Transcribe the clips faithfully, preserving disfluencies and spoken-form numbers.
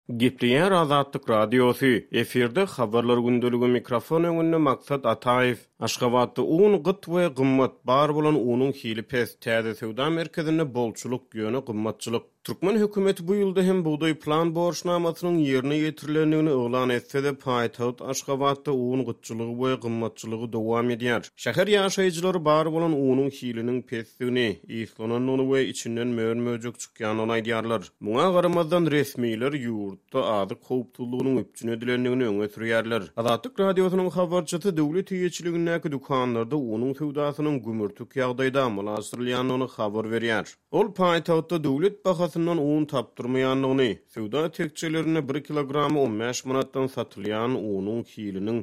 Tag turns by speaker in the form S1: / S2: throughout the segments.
S1: Gepleýär Azatlyk Radiosy, efirde Habarlar gündeligi, mikrofon öňünde Maksat Ataýew. Aşgabatda un gyt we gymmat, bar bolan unuň hili pes, täze söwda merkezinde bolçulyk, ýöne gymmatçylyk. Türkmen hökümeti bu ýylda hem bugdaý plan borçnamasynyň ýerine ýetirilendigini yglan etse-de, paýtagt Aşgabatda un gytçylygy we gymmatçylygy dowam edýär. Şäher ýaşaýjylary bar bolan unuň hiliniň pesdigini, yslanandygyny we içinden mör-möjek çykýandygyny aýdýarlar. Muňa garamazdan, resmiler ýurtda azyk howpsuzlygynyň üpjün edilendigini öňe sürýärler. Azatlyk Radiosynyň habarçysy döwlet eýeçiligindäki dükanlarda unuň söwdasynyň gümürtik ýagdaýda amala aşyrylýandygyny habar berýär. Ol paýtagtda döwlet bahasyndan un tapdyrmaýandygyny, söwda tekjelerinde bir kilogramy on bäş manatdan satylýan unuň hiliniň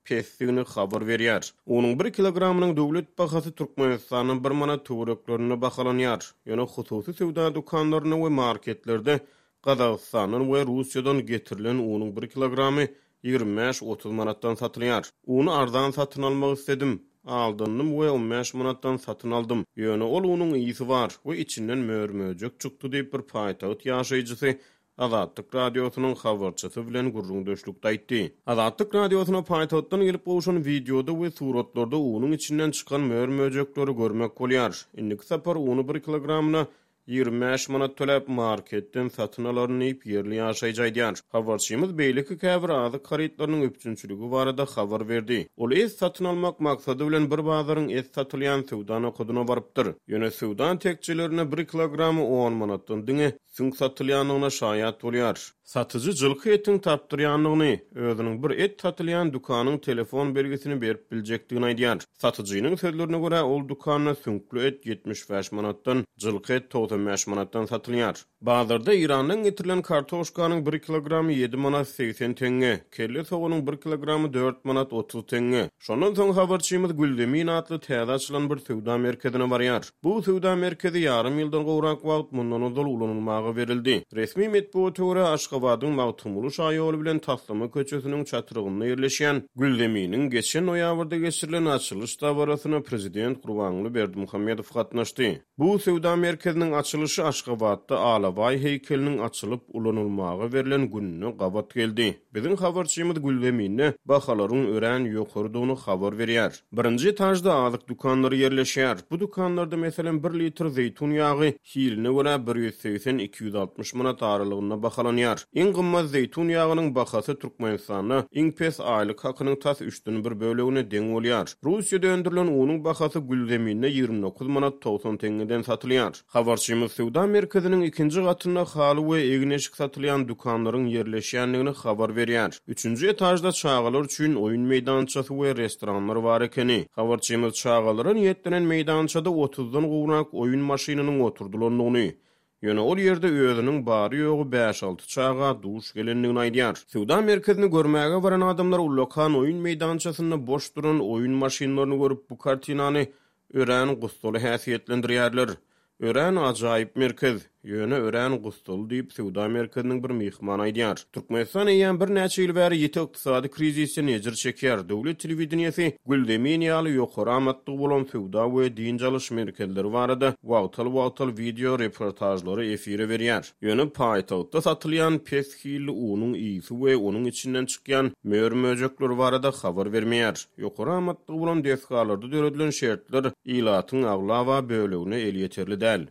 S1: pesdigini habar berýär. Unuň bir kilogramynyň döwlet bahasy Türkmenistanda bir manat töwereklerinde bahalanýar. Ýöne hususy söwda dükanlarynda we marketlerde Gazagystandan we Russiýadan getirilen unuň bir kilogramy ýigrimi bäş otuz manatdan satylýar. Uny arzan satyn almak istedim. Aldandym we on bäş manatdan satyn aldym. Ýöne ol unuň ýygy bar we içinden mör-möjek çykdy diýip bir paýtagt ýaşaýjysy Azatlyk Radiosynyň habarçysy bilen gürrüňdeşlikde aýtdy. Azatlyk Radiosyna paýtagtdan gelip gowşan wideoda we suratlarda unuň içinden çykan mör-möjekleri görmek bolýar. Indiki sapar uny bir kilogramyna ýigrimi bäş manat töläp marketden satyn alaryn diýip ýerli ýaşaýjy aýdýar. Habarçymyz beýleki käbir azyk harytlarynyň üpjünçiligi barada habar berdi. Ol et satyn almak maksady bilen bir bazaryň et satylýan söwda nokadyna barypdyr. Ýöne söwda tekjelerine bir kilogramy on manatdan diňe süňk satylýandygyna şaýat bolýar. Satyjy jylky etiň tapdyrýandygyny, özüniň bir et satylýan dükanyň telefon belgisini berip biljekdigini aýdýar. Satyjynyň sözlerine görä, ol dükanda süňkli et ýetmiş bäş manatdan, jylky et togsan bäş manatdan satylýar. Bazarda Irandan getirilen kartoşkanyň bir kilogramy ýedi manat segsen teňňe, kelle soganyň bir kilogramy dört manat otuz teňňe. Şondan soň habarçymyz Gülzemin atly täze açylan bir söwda merkezine barýar. Bu söwda merkezi ýarym ýyldan gowrak wagt mundan ozal ulanylmaga berildi. Resmi metbugata görä, Aşgabadyň Magtymguly şaýoly bilen Taslama köçesiniň çatrygynda ýerleşýän Gülzeminiň geçen noýabrda geçirilen açylyş dabarasyna prezident Gurbanguly Berdimuhamedow gatnaşdy. Bu söwda merkeziniň açylyşy Aşgabatda Alabaý heýkeliniň açylyp ulanylmaga berlen gününe gabat geldi. Biziň habarçymyz Gülzeminde bahalaryň örän ýokarydygyny habar berýär. Birinji etajda azyk dükanlary ýerleşýär. Bu dükanlarda meselem bir litr zeýtun ýagy hiline görä bir ýüz segsen iki ýüz altmyş manat aralygynda bahalanýar. Iň gymmat zeýtun ýagynyň bahasy Türkmenistanda iň pes aýlyk hakynyň tas üçden bir bölegine deň bolýar. Russiýada öndürilen unuň bahasy Gülzeminde ýigrimi dokuz manat togsan teňňeden satylýar. Habarçymyz söwda merkeziniň ikinji gatynda haly we egin-eşik satylýan dükanlaryň ýerleşýändigini habar berýär. Üçünji etajda çagalar üçin oýun meýdançasy we restoranlar bar ekeni. Habarçymyz çagalara niýetlenen meýdançada otuzdan gowrak oýun maşynynyň oturdylandygyny, ýöne ol ýerde özüniň bary ýogy bäş alty çaga duş gelendigini aýdýar. Söwda merkezini görmäge baran adamlar ullakan oýun meýdançasynda boş duran oýun maşynlaryny görüp bu kartinany örän gussaly häsiýetlendirýärler. Örän ajaýyp merkez, ýöne örän gussaly diýip söwda merkeziniň bir myhmany aýdýar. Türkmenistan eýýäm birnäçe ýyl bäri ýiti ykdysady krizisden ejir çekýär. Döwlet telewideniýesi Gülzemin ýaly ýokary amatlygy bolan söwda we dynç alyş merkezleri barada wagtal-wagtal wideo reportajlary efire berýär. Ýöne paýtagtda satylýan pes hilli unuň ýygy we onuň içinden çykýan mör-möjekler barada habar bermeýär. Ýokary amatlygy bolan desgalarda döredilen şertler ilatyň aglaba bölegine elýeterli däl.